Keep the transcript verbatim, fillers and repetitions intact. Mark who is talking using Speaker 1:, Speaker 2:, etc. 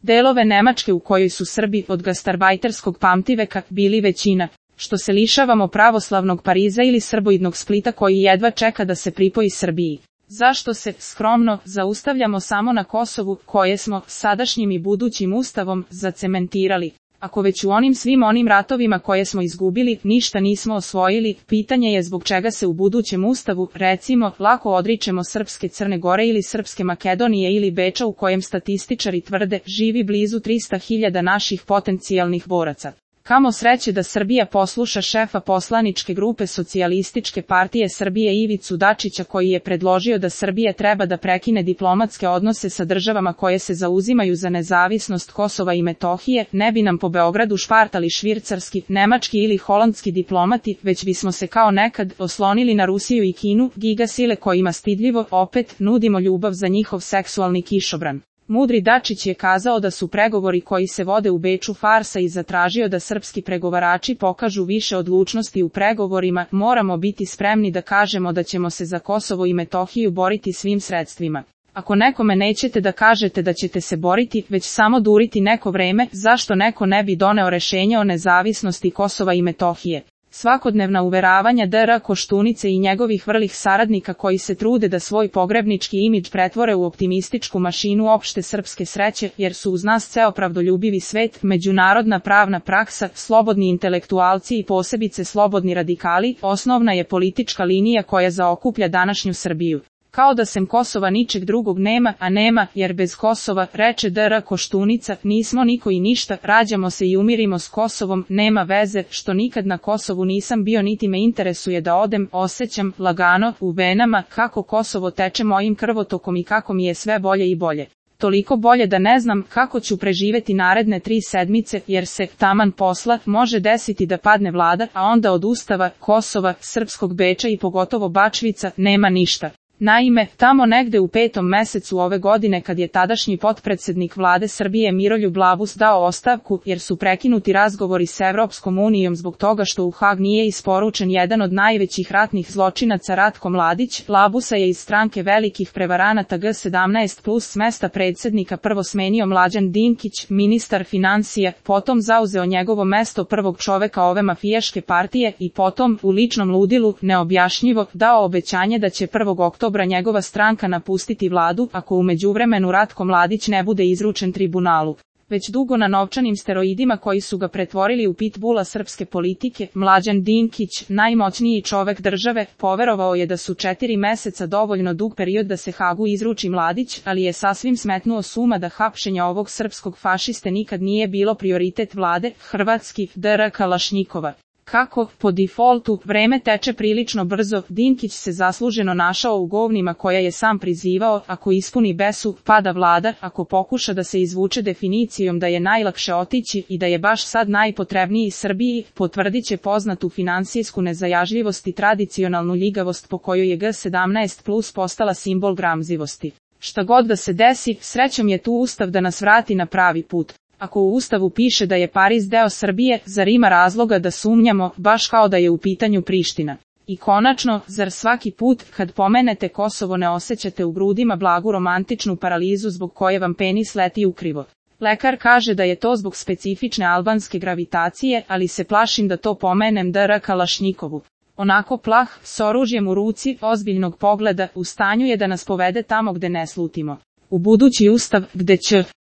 Speaker 1: delove Nemačke u kojoj su Srbi od gastarbajterskog pamtiveka bili većina, što se lišavamo pravoslavnog Pariza ili srboidnog Splita koji jedva čeka da se pripoji Srbiji. Zašto se, skromno, zaustavljamo samo na Kosovu, koje smo, sadašnjim i budućim ustavom, zacementirali? Ako već u onim svim onim ratovima koje smo izgubili, ništa nismo osvojili, pitanje je zbog čega se u budućem ustavu, recimo, lako odričemo srpske Crne Gore ili srpske Makedonije ili Beča u kojem statističari tvrde, živi blizu trista hiljada naših potencijalnih boraca. Kamo sreće da Srbija posluša šefa poslaničke grupe Socijalističke partije Srbije Ivicu Dačića koji je predložio da Srbija treba da prekine diplomatske odnose sa državama koje se zauzimaju za nezavisnost Kosova i Metohije, ne bi nam po Beogradu špartali švicarski, nemački ili holandski diplomati, već bismo se kao nekad oslonili na Rusiju i Kinu, gigasile kojima stidljivo, opet, nudimo ljubav za njihov seksualni kišobran. Mudri Dačić je kazao da su pregovori koji se vode u Beču farsa i zatražio da srpski pregovarači pokažu više odlučnosti u pregovorima, moramo biti spremni da kažemo da ćemo se za Kosovo i Metohiju boriti svim sredstvima. Ako nekome nećete da kažete da ćete se boriti, već samo duriti neko vreme, zašto neko ne bi doneo rešenje o nezavisnosti Kosova i Metohije? Svakodnevna uveravanja D R Koštunice i njegovih vrlih saradnika koji se trude da svoj pogrebnički imidž pretvore u optimističku mašinu opšte srpske sreće, jer su uz nas ceo pravdoljubivi svet, međunarodna pravna praksa, slobodni intelektualci i posebice slobodni radikali, osnovna je politička linija koja zaokuplja današnju Srbiju. Kao da sem Kosova ničeg drugog nema, a nema, jer bez Kosova, reče D R Koštunica, nismo niko i ništa, rađamo se i umirimo s Kosovom, nema veze, što nikad na Kosovu nisam bio niti me interesuje da odem, osjećam, lagano, u venama, kako Kosovo teče mojim krvotokom i kako mi je sve bolje i bolje. Toliko bolje da ne znam kako ću preživeti naredne tri sedmice, jer se, taman posla, može desiti da padne vlada, a onda od Ustava, Kosova, srpskog Beča i pogotovo Bačvica, nema ništa. Naime, tamo negde u petom mesecu ove godine kad je tadašnji potpredsednik vlade Srbije Miroljub Labus dao ostavku, jer su prekinuti razgovori s Evropskom unijom zbog toga što u Hag nije isporučen jedan od najvećih ratnih zločinaca Ratko Mladić, Labusa je iz stranke velikih prevaranata G sedamnaest plus s mesta predsednika prvo smenio Mlađan Dinkić, ministar financija, potom zauzeo njegovo mesto prvog čoveka ove mafijaške partije i potom, u ličnom ludilu, neobjašnjivo, dao obećanje da će prvog oktobra njegova stranka napustiti vladu ako u međuvremenu Ratko Mladić ne bude izručen tribunalu. Već dugo na novčanim steroidima koji su ga pretvorili u pitbula srpske politike, Mlađan Dinkić, najmoćniji čovek države, poverovao je da su četiri meseca dovoljno dug period da se Hagu izruči Mladić, ali je sasvim smetnuo s uma da hapšenje ovog srpskog fašiste nikad nije bilo prioritet vlade, hrvatski, D R Kalašnjikova. Kako, po defaultu, vreme teče prilično brzo, Dinkić se zasluženo našao u govnima koja je sam prizivao, ako ispuni besu, pada vlada, ako pokuša da se izvuče definicijom da je najlakše otići i da je baš sad najpotrebniji Srbiji, potvrdit će poznatu finansijsku nezajažljivost i tradicionalnu ljigavost po kojoj je G sedamnaest plus postala simbol gramzivosti. Šta god da se desi, srećom je tu Ustav da nas vrati na pravi put. Ako u Ustavu piše da je Pariz deo Srbije, zar ima razloga da sumnjamo, baš kao da je u pitanju Priština? I konačno, zar svaki put, kad pomenete Kosovo ne osjećate u grudima blagu romantičnu paralizu zbog koje vam penis leti ukrivo? Lekar kaže da je to zbog specifične albanske gravitacije, ali se plašim da to pomenem D R Kalašnjikovu. Onako plah, s oružjem u ruci, ozbiljnog pogleda, u stanju je da nas povede tamo gde ne slutimo. U budući Ustav, gde će